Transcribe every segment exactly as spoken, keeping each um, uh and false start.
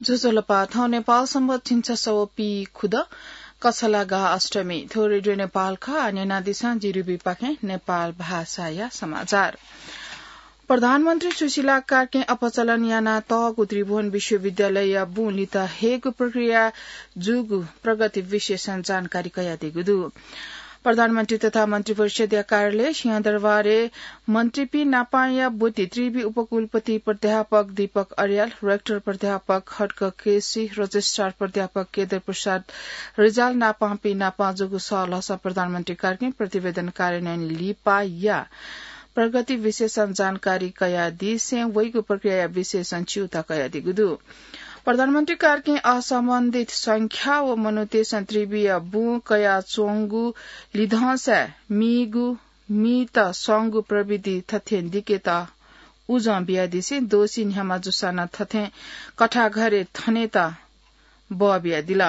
ज्वजलपा, थौं नेपाल संवत् झिंछसः व पीखुदँ कछलागा अष्टमी। थ्व रेडियो नेपाल खः। आः न्यनादिसँ जिरिबीपाखें नेपाल भाषाया समाचार। प्रधानमन्त्री सुशीला कार्कीं अपचलन यानातःगु त्रिभुवन विश्वविद्यालयया बुँ लित हयेगु प्रक्रिया जूगु प्रगति विशेषं जानकारी कयादीगु दु। प्रधानमन्त्री तथा मन्त्रिपरिषद्या कार्यालय सिंहदरबारय् मन्त्रीपिं नापांया ब्वति त्रिवि उपकुलपति प्राध्यापक दीपक अर्याल, रेक्टर प्राध्यापक खड्ग केसी, रजिस्ट्रार प्राध्यापक केदार प्रसाद रिजाल नापांपिं नापां जूगु सहलहसं प्रधानमन्त्री कार्कीं प्रतिवेदन कार्यान्वयन लिपाया प्रगति विशेषं जानकारी कयादिसें वइगु प्रक्रियाया विशेषं च्यूता कयादीगु दु। प्रधानमन्त्री कार्कीं असम्बन्धित संख्या व मनूतय्सं त्रिविया बुँ कयाच्वंगु लिधंसाय् मीगु, मीत संगु प्रविधि थथें दिकेत उजं बियादिसें दोषी न्ह्यामा जूसां नं थथें कथाघरय् थनेत बः बियादिल।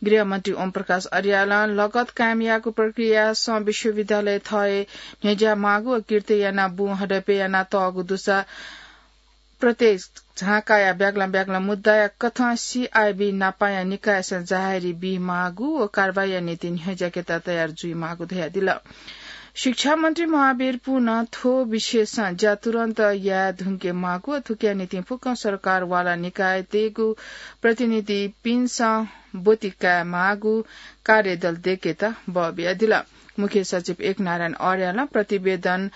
गृहमन्त्री ओम प्रकाश अर्यालं लगत कायम याःगु प्रक्रियासं विश्वविद्यालय थःहे न्ह्यज्याः माःगु व किर्ति यानाः बुँ हडपय् यानातःगु दुसा प्रत्येक झाँकाया ब्यागलं ब्यागलं मुद्दाया कथं सीआइबी नापांया निकायसं जाहेरी बीमाःगु व कारवाहीया निंतिं न्ह्यज्याकेत तयार जुइमाःगु धयादिल। शिक्षा मन्त्री महावीर पुनं थ्व विषयसं ज्या तुरन्त याये धुंके माःगु व थुकिया निंतिं फुक्कं सरकार वाला निकायतय्गु प्रतिनिधिपिन्सं ब्वति काये माःगु कार्यदल दय्केत बः बियादिल। मुख्य सचिव एकनारायण अर्यालं प्रतिवेदन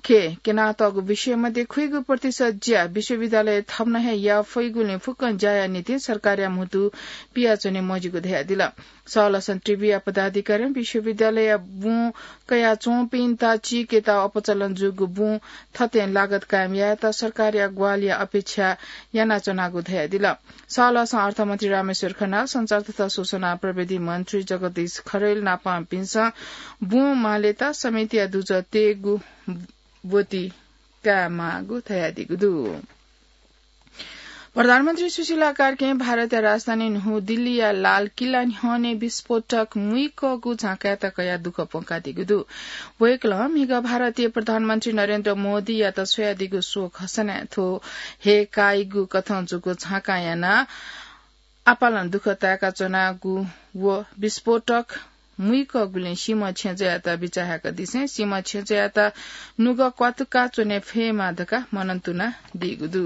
खँय् क्यनातःगु विषय मध्ये खुइगु प्रतिशत ज्या विश्वविद्यालयय् थम्हं हे याये फइगुलिं फुक्कं ज्याया निंतिं सरकारया म्हुतु पियाच्वने मजिगु धयादिल। सहलहसं त्रिविया पदाधिकारीं विश्वविद्यालयया बुँ कयाच्वंपिन्त चीकेत अपचलन जूगु बुँ थथें लागत कायम यायेत सरकारया ग्वाहालिया अपेक्षा यानाच्वनागु धयादिल। सहलहसं अर्थमन्त्री रामेश्वर खनाल, सञ्चार तथा सूचना प्रविधि मन्त्री जगदीश खरेल नापांपिन्सं बुँ मालेत समितिया दुजः तयेगु ब्वति कायेमाःगु धयादीगु दु। प्रधानमन्त्री सुशीला कार्कीं भारतया राजधानी न्हू दिल्लीया लाल किल्ला न्ह्यःने विस्फोटक मुइकःगु झाँकाय्त कयाः दुःख प्वंकादीगु दु। वय्कलं म्हिगः भारतय् प्रधानमन्त्री नरेन्द्र मोदीयात स्वयादीगु शोक हसनाय् थ्व हे काइगु कथं जूगु झाँकां यानाः आपालं दुःख ताय्काच्वनागु व विस्फोटक मुइकःगुलिं सीम्ह छेँजःयात बिचाः याकादिसें सीम्ह छेँजःयात नुगः क्वातुका च्वने फयेमा धकाः मनंतुना दीगु दु।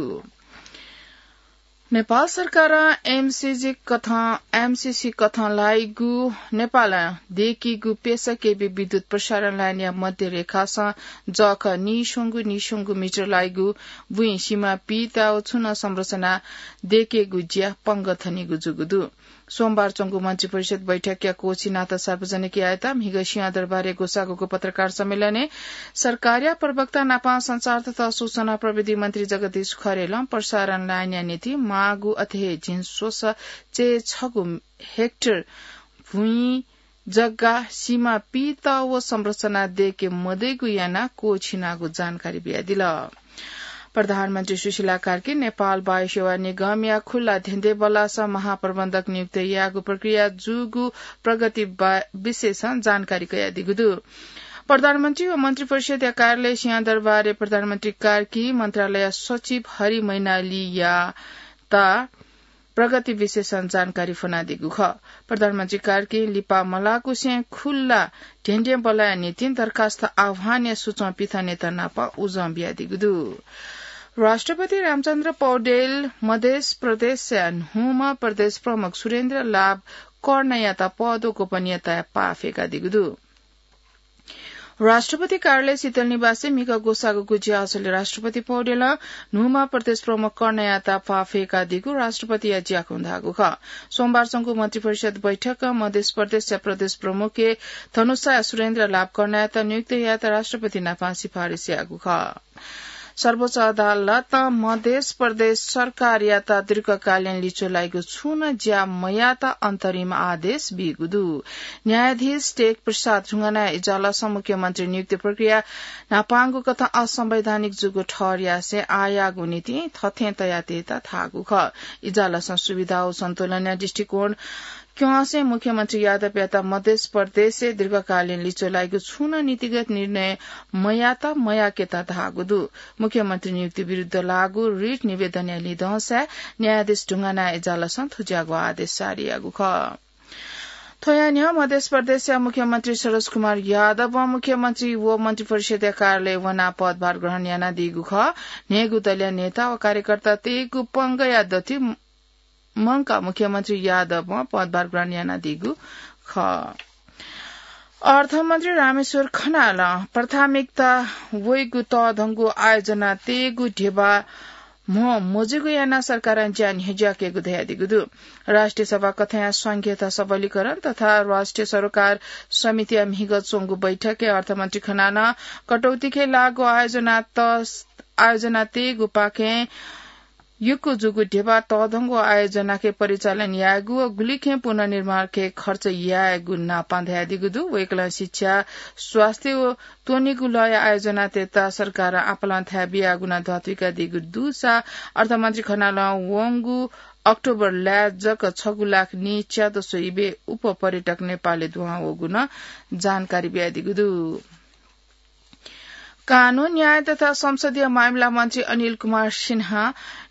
नेपाल सरकारं एमसीसी कथं, एमसीसी कथं लाइगु नेपालं दय्कीगु पेसा केबी विद्युत प्रसारण लाइनया मध्य रेखासं जःखः नीस्वंगू नीस्वंगू मिटर लाइगु बुँइ सीमा पीता व छुं नं संरचना दय्केगु ज्या पंगः थनीगु जूगु दु। सोमबार च्वंगु मन्त्रिपरिषद बैठकया कोछि नाता सार्वजनिक यायेत म्हिगः सिंहदरबारय् ग्वसाःगु पत्रकार सम्मेलनय् सरकारया प्रवक्ता नापं सञ्चार तथा सूचना प्रविधि मन्त्री जगदीश खरेलं प्रसारण लाइनया निंतिं माःगु अथे हे झिंस्वसः चय्छगू हेक्टर भुइँ जग्गा सीमा पीत व संरचना दय्के मदइगु यानाः कोछिनागु जानकारी बियादिल। प्रधानमन्त्री सुशीला कार्की नेपाल वायुसेवा निगमया खुल्ला धेंधेंबल्लास महाप्रबन्धक नियुक्त यायेगु प्रक्रिया जूगु प्रगति बा-, विशेषं जानकारी कयादीगु दु। प्रधानमन्त्री व मन्त्रिपरिषदया कार्यालय सिंहदरबारय् प्रधानमन्त्री कार्की, मन्त्रालय सचिव हरि मैनालीयात प्रगति विशेषं जानकारी फ्वनादीगु खः। प्रधानमन्त्री कार्कीं लिपा मलाकुसें खुल्ला धेंधेंबल्लाया निंतिं दरखास्त आह्वानया सुचं पिथनेत नाप उजं बियादीगु दु। राष्ट्रपति रामचन्द्र पौडेल मधेस प्रदेशया न्हूम्ह प्रदेश प्रमुख सुरेन्द्र लाभ कर्णयात पद व गोपनीयताया पाः फ्यकादीगु दु। राष्ट्रपति कार्यालय शीतल निवासय् म्हिगः ग्वसाःगु ज्याझ्वलय् राष्ट्रपति पौडेलं न्हूम्ह प्रदेश प्रमुख कर्णयात पाः फ्यकादीगु राष्ट्रपतिया ज्याखँय् धाःगु खः। सोमबार च्वंगु मन्त्रिपरिषद बैठकं मधेस प्रदेशया प्रदेश प्रमुखय् धनुषा सुरेन्द्र लाभ कर्णयात नियुक्त यायेत राष्ट्रपति नापं सिफारिस याःगु खः। सर्वोच्च अदालतं मधेस प्रदेश सरकारयात दीर्घकालीन लिच्वः लाइगु छुं नं ज्या मयायेत अन्तरिम आदेश बीगु दु। न्यायाधीश टेक प्रसाद ढुङ्गानाया इजलासं मुख्यमन्त्री नियुक्ति प्रक्रिया न्हापांगु कथं असंवैधानिक जूगु ठहर यासें आःयाःगु नीतिं थथें तयातयेत धाःगु खः। इजलासं सुविधा व सन्तुलनया दृष्टिकोण क्यंसे मुख्यमन्त्री यादवयात मध्य प्रदेशय् दीर्घकालीन लिच्वः लाइगु छुं नं नीतिगत निर्णय मयात मयाकेत धाःगु दु। मुख्यमन्त्री नियुक्ति विरुद्ध लाःगु रिट निवेदनया लिधंसाय् न्यायाधीश ढुङ्गानाथ इजालसं थुज्याःगु आदेश जारी याःगु खः। थ्वया न्ह्यः मध्य प्रदेशया मुख्यमन्त्री सरोज कुमार यादवं मुख्यमन्त्री व मन्त्रिपरिषदया कार्यालय वनाः पदभार ग्रहण यानादीगु खः। न्हय्गू दलया नेता व कार्यकर्ता तयेगु पंगया दथुइ मंकाः मुख्यमन्त्री यादवं पदभार ग्रहण यानादीगु खः। अर्थमन्त्री रामेश्वर खनालं प्राथमिकता वइगु तःधंगु आयोजना तयेगु ध्यबा म्ह मजूगु यानाः सरकारं ज्या न्ह्यज्याकेगु धयादीगु दु। राष्ट्रिय सभा कथंया संघीयता सबलीकरण तथा राष्ट्रिय सरोकार समितिया म्हिगः च्वंगु बैठकय् अर्थमन्त्री खनालं कटौतीखे लाःगु आयोजना त-, आयोजना तयेगु पाखें यक्व जूगु ध्यबा तःधंगु आयोजनाखे परिचालन यायेगु व गुलिखें पुनर्निर्माणखे खर्च यायेगु नापां धयादीगु दु। वय्कलं शिक्षा, स्वास्थ्य व त्वनेगु लःया आयोजनातय्त सरकारं आपालं थाय् बियागु नं धत्विकादीगु दुसा अर्थमन्त्री खनालं वंगु अक्टोबर लाय् जक छगू लाख नीच्यादसु इबे उप पर्यटक नेपालय् दुहां वःगु नं जानकारी बियादीगु दु। कानून, न्याय तथा संसदीय मामिला मन्त्री अनिल कुमार सिन्हां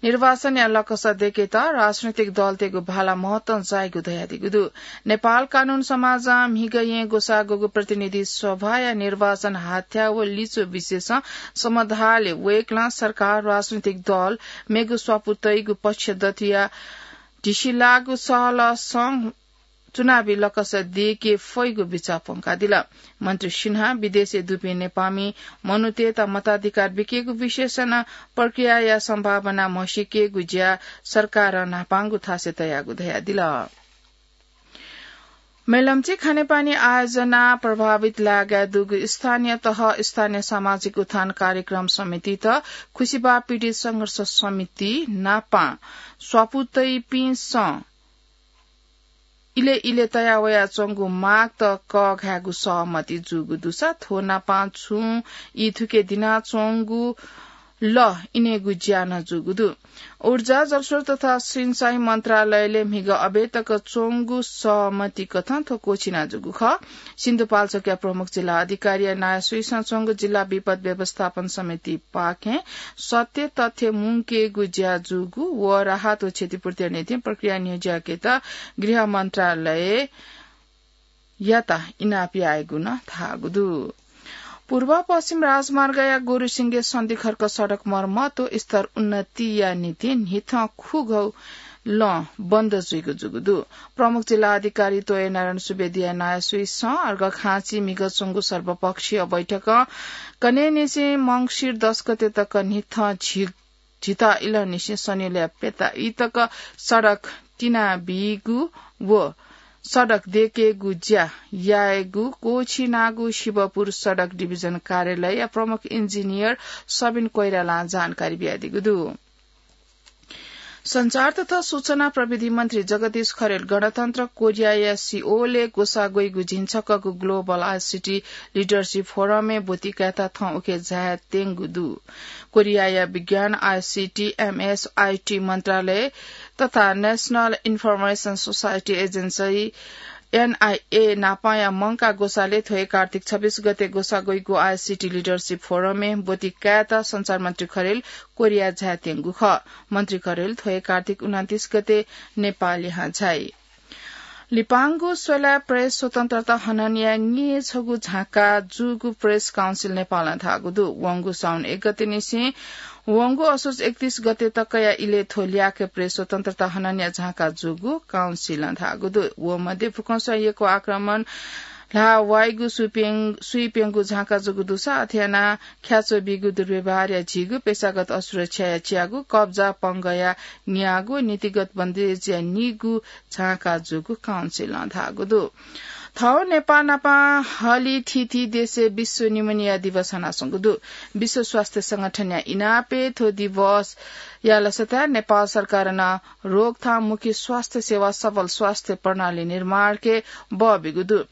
निर्वाचनया लकस दय्केत राजनैतिक दलतय्गु भाला महत्तं जाइगु धयादीगु दु। नेपाल कानून समाजं म्हिगः येँ ग्वसाः ग्वःगु प्रतिनिधि सभाया निर्वाचन हाथ्या व लिच्वः विषयसं समधालय् वय्कलं सरकार, राजनैतिक दल, मेगु स्वापू तइगु पक्ष दथुया ढिसिलाःगु सहलसं चुनावी लकस दय्के फइगु बिचाः प्वंकादिल। मन्त्री सिन्हां विदेशय् दुपिं नेपाःमि मनूतय्त मताधिकार बिकेगु विषयसं नं प्रक्रियाया सम्भावना म्हसीकेगु ज्या सरकारं न्हापांगु थासय् तयागु धयादिल। मेलम्ची खानेपानी आयोजना प्रभावित लागाय् दुगु स्थानीय तह स्थानीय सामाजिक उत्थान कार्यक्रम समितित खुसिबा पीडित संघर्ष समिति नापां स्वापू तइपिन्सं इलय् इलय् तया वयाच्वंगु मागत कःघायेगु सहमति जूगु दुसा थ्व नापां छुं ई थुके दिनाच्वंगु लः इनेगु ज्या नं जूगु दु। ऊर्जा, जलस्रोत तथा सिंचाई मन्त्रालयले म्हिगः अबय् तक च्वंगु सहमति कथं थ्व क्वःछिना जूगु खः। सिन्धुपाल्चोकया प्रमुख जिल्ला अधिकारीया नायःसुइसं च्वंगु जिल्ला विपद व्यवस्थापन समितिपाखें सत्य तथ्य मुंकेगु ज्या जूगु व राहत व क्षतिपूर्तिया निंतिं प्रक्रिया न्ह्यज्याकेत गृह मन्त्रालय यात इनाप यायेगु नं धाःगु दु। पूर्व पश्चिम राजमार्गया गुरुसिंगे सन्धिखर्क सडक मर्मत व स्तर उन्नतिया निंतिं न्हिथं खुगू लँ बन्द जुइगु जूगु दु। प्रमुख जिल्ला अधिकारी तोयनारायण सुवेदीया नायःसुइसं अर्घखाँची म्हिगः च्वंगु सर्वपक्षीय बैठकं कन्हय्निसें मंसिर दस गते तक न्हिथं झि झिता इलंनिसें सनेलया प्यता ई तक सडक तिनाबीगु व सडक दय्केगु ज्या यायेगु क्वःछिनागु शिवपुर सडक डिभिजन कार्यालयया प्रमुख इन्जिनियर सबिन कोइरालां जानकारी बियादीगु दु। सञ्चार तथा सूचना प्रविधि मन्त्री जगदीश खरेल गणतन्त्र कोरियाया सिओलय् ग्वसाः ग्वइगु झिंछक्वःगु ग्लोबल आईसीटी लिडरसिप फोरमय् ब्वति कायेत थौं उखे झाये त्यंगु दु। कोरियाया विज्ञान, आईसीटी, एमएस, आईटी मन्त्रालय तथा national information society agency, NIA, नापांया मंकाः ग्वसालय् थ्व हे कार्तिक छब्बीस गते ग्वसाः ग्वइगु आईसीटी लिडरसिप फोरमय् ब्वति कायेत सञ्चार मन्त्री खरेल कोरिया झाये त्यंगु खः। मन्त्री खरेल थ्व हे कार्तिक उनन्तीस गते नेपाः लिहां झाइ। लिपांगु स्वलाय् प्रेस स्वतन्त्रता हननया न्येछगू झांका जूगु प्रेस काउन्सिल नेपालं धाःगु दु। वंगु साउन एक गते निसें वंगु असोज एकतीस गते तकया इलय् थ्व ल्याखय् प्रेस स्वतन्त्रता हननया झांका जूगु काउन्सिलं धाःगु दु। व मध्ये फुक्कंसं यक्व आक्रमण ल्हाः वाइगु सुइप्यं-, सुइप्यंगु झांका जूगु दुसा अथे यानाः ख्याच्वः बीगु दुर्व्यवहारया झीगु, पेशागत असुरक्षाया च्यागू, कब्जा पंगःया न्यागू, नीतिगत बन्देजया निगू झांका जूगु काउन्सिलं धाःगु दु। थौं नेपाः नाप हलिथीथी देशय् विश्व निमोनिया दिवस हनाच्वंगु दु। विश्व स्वास्थ्य संगठनया इनापय् थ्व दिवसया लसताय् नेपाल सरकारं नं रोकथाममुखी स्वास्थ्य सेवा, सबल स्वास्थ्य प्रणाली निर्माणके बः बीगु दु।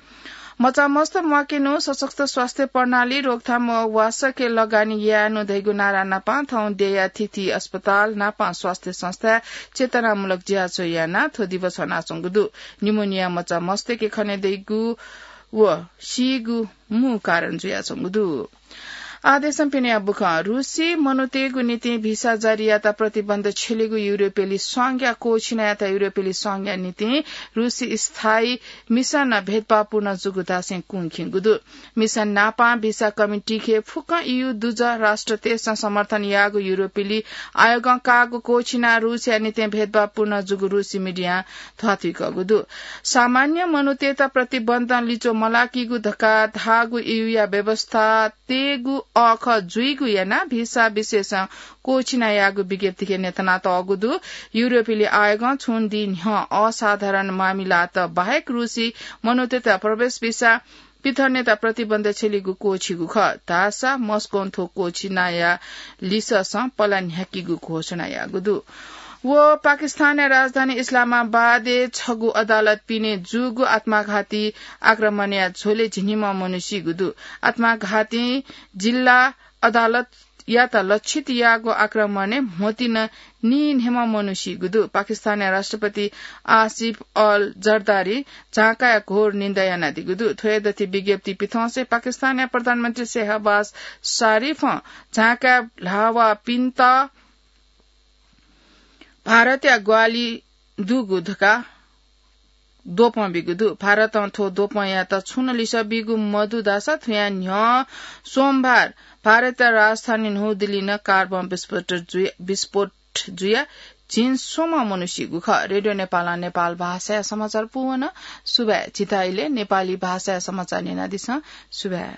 मचामस्त म्वाकेनु, सशक्त स्वास्थ्य प्रणाली, रोकथाम व वासके लगानी यायेनु धइगु नारा नापां थौं देया थीथी अस्पताल नापां स्वास्थ्य संस्था चेतनामूलक ज्याझ्वः यानाः थ्व दिवस हनाच्वंगु दु। निमोनिया मचामस्तके खने दइगु व सीगु मू कारण जुयाच्वंगु दु। आदेशं पिनेया बुखँ। रूसी मनूतय्गु निंतिं भिसा जारी यात प्रतिबन्ध छ्यलेगु युरोपेली संघया क्वःछिना यात युरोपेली संघया निंतिं रूसी स्थायी मिसन भेदभावपूर्ण जूगु धासें कुंखिंगु दु। मिसन नापां भिसा कमिटीखे फुक्कं ईयू दुजः राष्ट्रतय्सं समर्थन याःगु युरोपेली आयोगं काःगु क्वःछिना रूसया निंतिं भेदभावपूर्ण जूगु रूसी मिडियां ध्वाथुइकःगु दु। सामान्य मनूतय्त प्रतिबन्धं लिच्वः मलाकीगु धकाः धाःगु ईयूया व्यवस्था तयेगु अःखः जुइगु यानाः भिसा विषयसं क्वःछिना याःगु विज्ञप्तिखे न्ह्यथनातःगु दु। युरोपेली आयोगं छुं दिं न्ह्यः असाधारण मामिलात बाहेक रूसी मनूतय्त प्रवेश भिसा पिथनेत प्रतिबन्ध छ्यलीगु क्वःछिगु खः धाःसा मस्कों थ्व क्वःछिनाया लिससं पला न्ह्याकीगु घोषणा याःगु दु। व पाकिस्तानया राजधानी इस्लामाबादय् छगू अदालत पिने जूगु आत्मघाती आक्रमणया झ्वलय् झिंनिम्ह मनू सीगु दु। आत्मघाती जिल्ला अदालतयात लक्षित याःगु आक्रमणय् म्होतिं नीन्हय्म्ह मनू सीगु दु। पाकिस्तानया राष्ट्रपति आसिफ अल जरदारी झांकाया घोर निन्दा यानादीगु दु। थ्वया दथि विज्ञप्ति पिथंसे पाकिस्तानया प्रधानमन्त्री शेहबाज शरीफं झांकाय् ल्हाःवाःपिन्त भारतया ग्वाहालि दुगु धकाः द्वपं बीगु दु। भारतं थ्व द्वपंयात छुं नं लिसः बीगु मदु धाःसा थुया न्ह्यः सोमबार भारतया राजधानी न्हू दिल्लीं नं कार बम विस्फोट जुया, विस्फोट जुया झिंस्वम्ह मनू सीगु खः। रेडियो नेपालं नेपाल भाषाया समाचार पूवन। सुभाय्। झीथाय् इलय् नेपाली भाषाया समाचार न्यनादिसँ। सुभाय्।